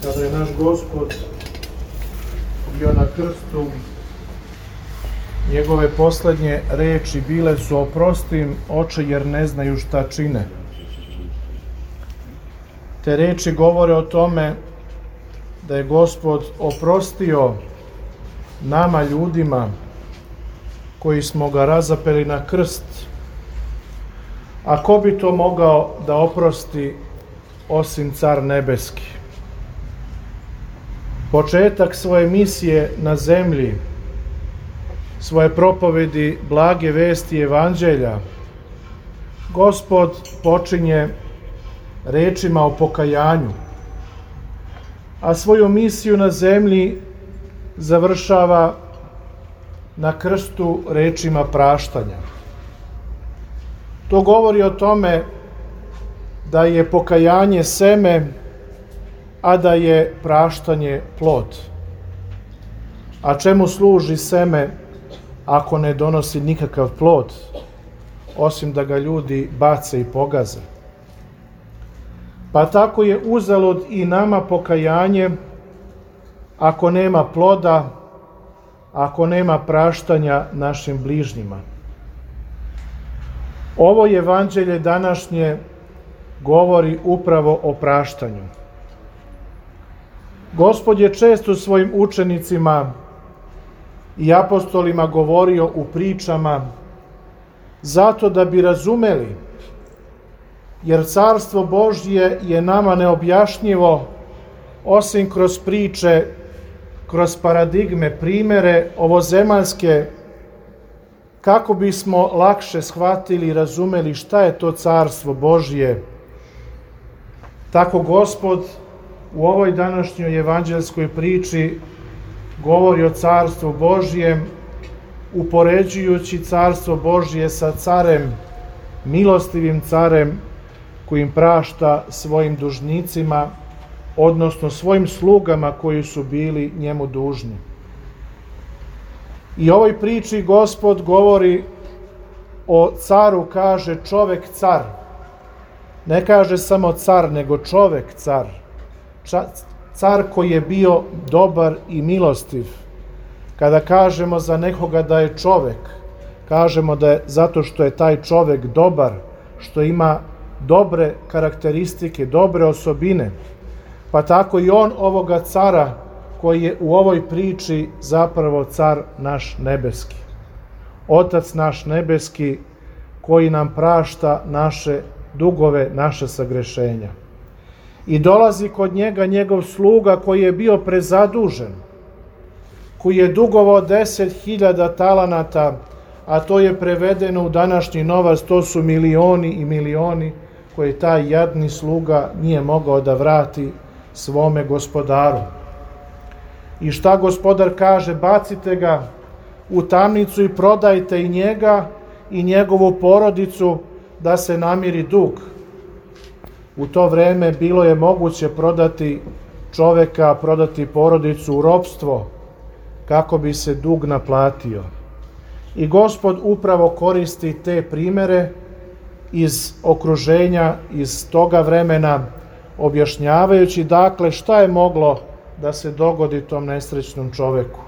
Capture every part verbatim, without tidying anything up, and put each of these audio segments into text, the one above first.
kada je naš Gospod bio na krstu, njegove poslednje reči bile su: oprosti im, oče, jer ne znaju šta čine. Te reči govore o tome da je Gospod oprostio nama, ljudima, koji smo ga razapeli na krst. A ko bi to mogao da oprosti osim Car nebeski? Početak svoje misije na zemlji, svoje propovedi blage vesti evanđelja, Gospod počinje rečima o pokajanju, a svoju misiju na zemlji završava na krstu rečima praštanja. To govori o tome da je pokajanje seme, a da je praštanje plod. A čemu služi seme ako ne donosi nikakav plod, osim da ga ljudi bace i pogaze? Pa tako je uzalud i nama pokajanje ako nema ploda, ako nema praštanja našim bližnjima. Ovo evanđelje današnje govori upravo o praštanju. Gospod je često svojim učenicima i apostolima govorio u pričama zato da bi razumeli, jer Carstvo Božje je nama neobjašnjivo osim kroz priče, kroz paradigme, primere ovozemaljske, kako bismo lakše shvatili i razumeli šta je to Carstvo Božje. Tako Gospod u ovoj današnjoj evanđelskoj priči govori o Carstvu Božjem, upoređujući Carstvo Božje sa carem, milostivim carem, kojim prašta svojim dužnicima, odnosno svojim slugama koji su bili njemu dužni. I u ovoj priči Gospod govori o caru, kaže čovek car. Ne kaže samo car, nego čovek car. Car koji je bio dobar i milostiv. Kada kažemo za nekoga da je čovek, kažemo da je zato što je taj čovek dobar, što ima dobre karakteristike, dobre osobine. Pa tako i on ovoga cara koji je u ovoj priči zapravo car naš nebeski. Otac naš nebeski koji nam prašta naše dugove, naše sagrešenja. I dolazi kod njega njegov sluga koji je bio prezadužen, koji je dugovao deset hiljada talanata, a to je prevedeno u današnji novac, to su milioni i milioni koje taj jadni sluga nije mogao da vrati svome gospodaru. I šta gospodar kaže? Bacite ga u tamnicu i prodajte i njega i njegovu porodicu da se namiri dug. U to vreme bilo je moguće prodati čoveka, prodati porodicu u ropstvo kako bi se dug naplatio. I Gospod upravo koristi te primere iz okruženja, iz toga vremena, objašnjavajući dakle šta je moglo da se dogodi tom nesrećnom čoveku.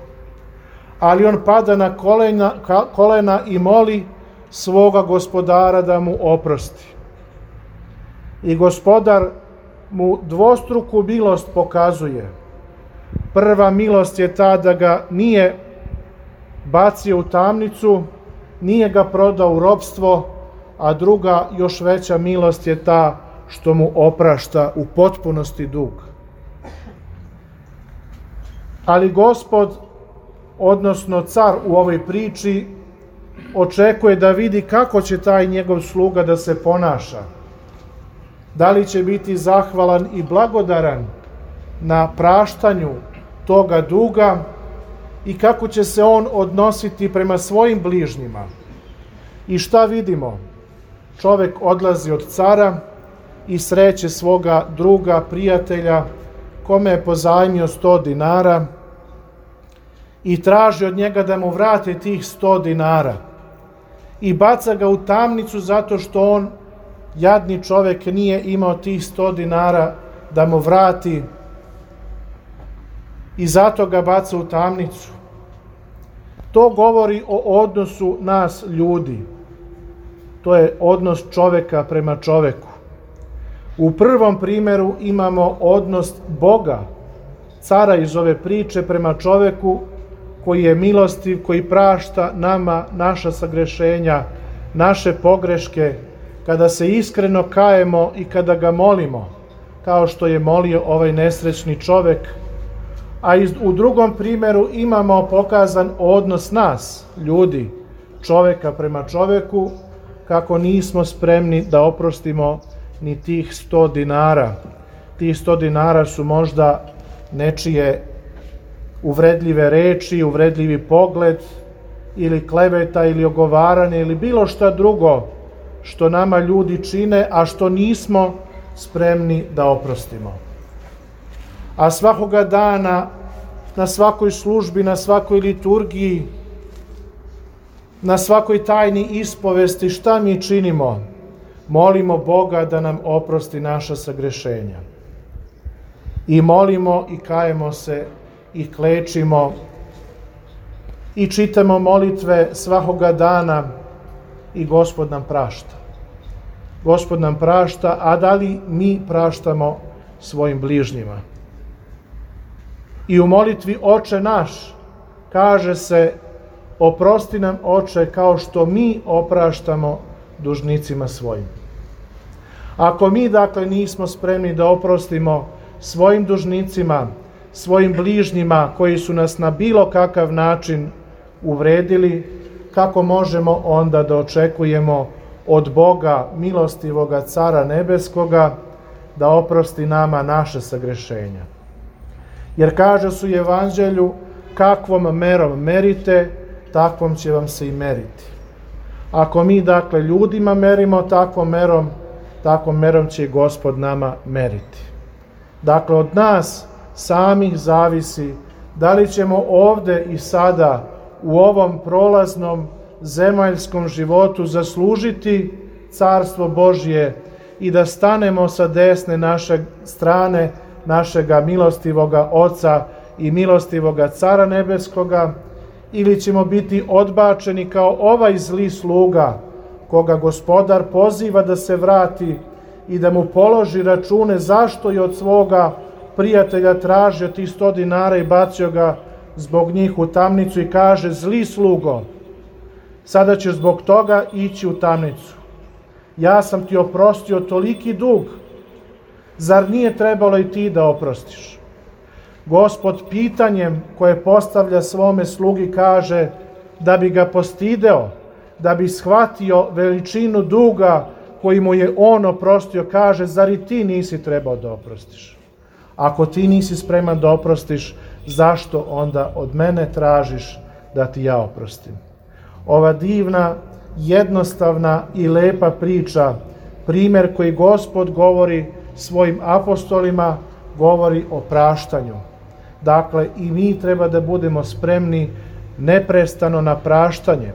Ali on pada na kolena, kolena i moli svoga gospodara da mu oprosti. I gospodar mu dvostruku milost pokazuje. Prva milost je ta da ga nije bacio u tamnicu, nije ga prodao u ropstvo, a druga, još veća milost je ta što mu oprašta u potpunosti dug. Ali Gospod, odnosno car u ovoj priči, očekuje da vidi kako će taj njegov sluga da se ponaša. Da li će biti zahvalan i blagodaran na praštanju toga duga i kako će se on odnositi prema svojim bližnjima. I šta vidimo? Čovek odlazi od cara i sreće svoga druga, prijatelja, kome je pozajmio sto dinara i traži od njega da mu vrate tih sto dinara. I baca ga u tamnicu zato što on, jadni čovek, nije imao tih sto dinara da mu vrati i zato ga baca u tamnicu. To govori o odnosu nas ljudi. To je odnos čoveka prema čoveku. U prvom primjeru imamo odnos Boga, cara iz ove priče, prema čoveku koji je milostiv, koji prašta nama naša sagrešenja, naše pogreške, kada se iskreno kajemo i kada ga molimo, kao što je molio ovaj nesrećni čovek. A u drugom primjeru imamo pokazan odnos nas, ljudi, čoveka prema čoveku, kako nismo spremni da oprostimo ni tih sto dinara. Tih sto dinara su možda nečije uvredljive reči, uvredljivi pogled, ili kleveta, ili ogovaranje, ili bilo šta drugo što nama ljudi čine, a što nismo spremni da oprostimo. A svakoga dana, na svakoj službi, na svakoj liturgiji, na svakoj tajni ispovesti, šta mi činimo? Molimo Boga da nam oprosti naša sagrešenja. I molimo i kajemo se i klečimo i čitamo molitve svakoga dana i Gospod nam prašta. Gospod nam prašta, a da li mi praštamo svojim bližnjima? I u molitvi Oče naš kaže se: oprosti nam, Oče, kao što mi opraštamo dužnicima svojim. Ako mi, dakle, nismo spremni da oprostimo svojim dužnicima, svojim bližnjima koji su nas na bilo kakav način uvredili, kako možemo onda da očekujemo od Boga, milostivoga Cara nebeskoga, da oprosti nama naše sagrešenja? Jer kaže su u Evanđelju: kakvom merom merite, takvom će vam se i meriti. Ako mi, dakle, ljudima merimo takvom merom, takvom merom će i Gospod nama meriti. Dakle, od nas samih zavisi da li ćemo ovde i sada u ovom prolaznom zemaljskom životu zaslužiti Carstvo Božje i da stanemo sa desne naše strane našega milostivoga Oca i milostivoga Cara nebeskoga, ili ćemo biti odbačeni kao ovaj zli sluga koga Gospodar poziva da se vrati i da mu položi račune zašto je od svoga prijatelja tražio tih sto dinara i bacio ga zbog njih u tamnicu i kaže: zli slugo, sada ćeš zbog toga ići u tamnicu. Ja sam ti oprostio toliki dug, zar nije trebalo i ti da oprostiš? Gospod pitanjem koje postavlja svome slugi kaže da bi ga postideo, da bi shvatio veličinu duga koji mu je on oprostio, kaže: zar i ti nisi trebao da oprostiš? Ako ti nisi spreman da oprostiš, zašto onda od mene tražiš da ti ja oprostim? Ova divna, jednostavna i lepa priča, primjer koji Gospod govori svojim apostolima, govori o praštanju. Dakle, i mi treba da budemo spremni neprestano na praštanje.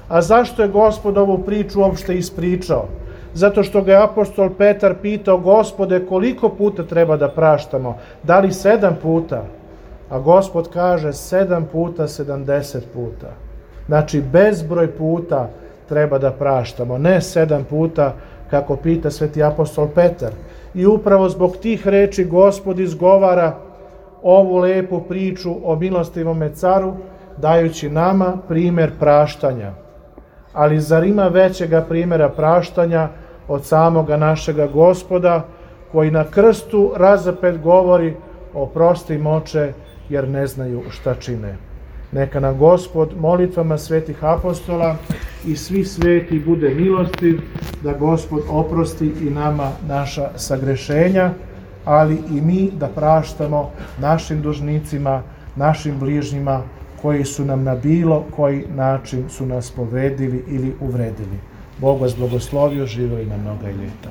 A zašto je Gospod ovu priču uopšte ispričao? Zato što ga je apostol Petar pitao: Gospode, koliko puta treba da praštamo? Da li sedam puta? A Gospod kaže: sedam puta, sedamdeset puta. Znači, bezbroj puta treba da praštamo, ne sedam puta, kako pita sveti apostol Petar. I upravo zbog tih reči Gospod izgovara ovu lepu priču o milostivome caru, dajući nama primjer praštanja. Ali zar ima većega primjera praštanja od samoga našega Gospoda, koji na krstu razapet govori: oprosti im, Oče, jer ne znaju šta čine. Neka nam Gospod molitvama svetih apostola i svih sveti bude milostiv, da Gospod oprosti i nama naša sagrešenja, ali i mi da praštamo našim dužnicima, našim bližnjima koji su nam na bilo koji način su nas povredili ili uvredili. Bog vas blagoslovio, živeli na mnoga ljeta.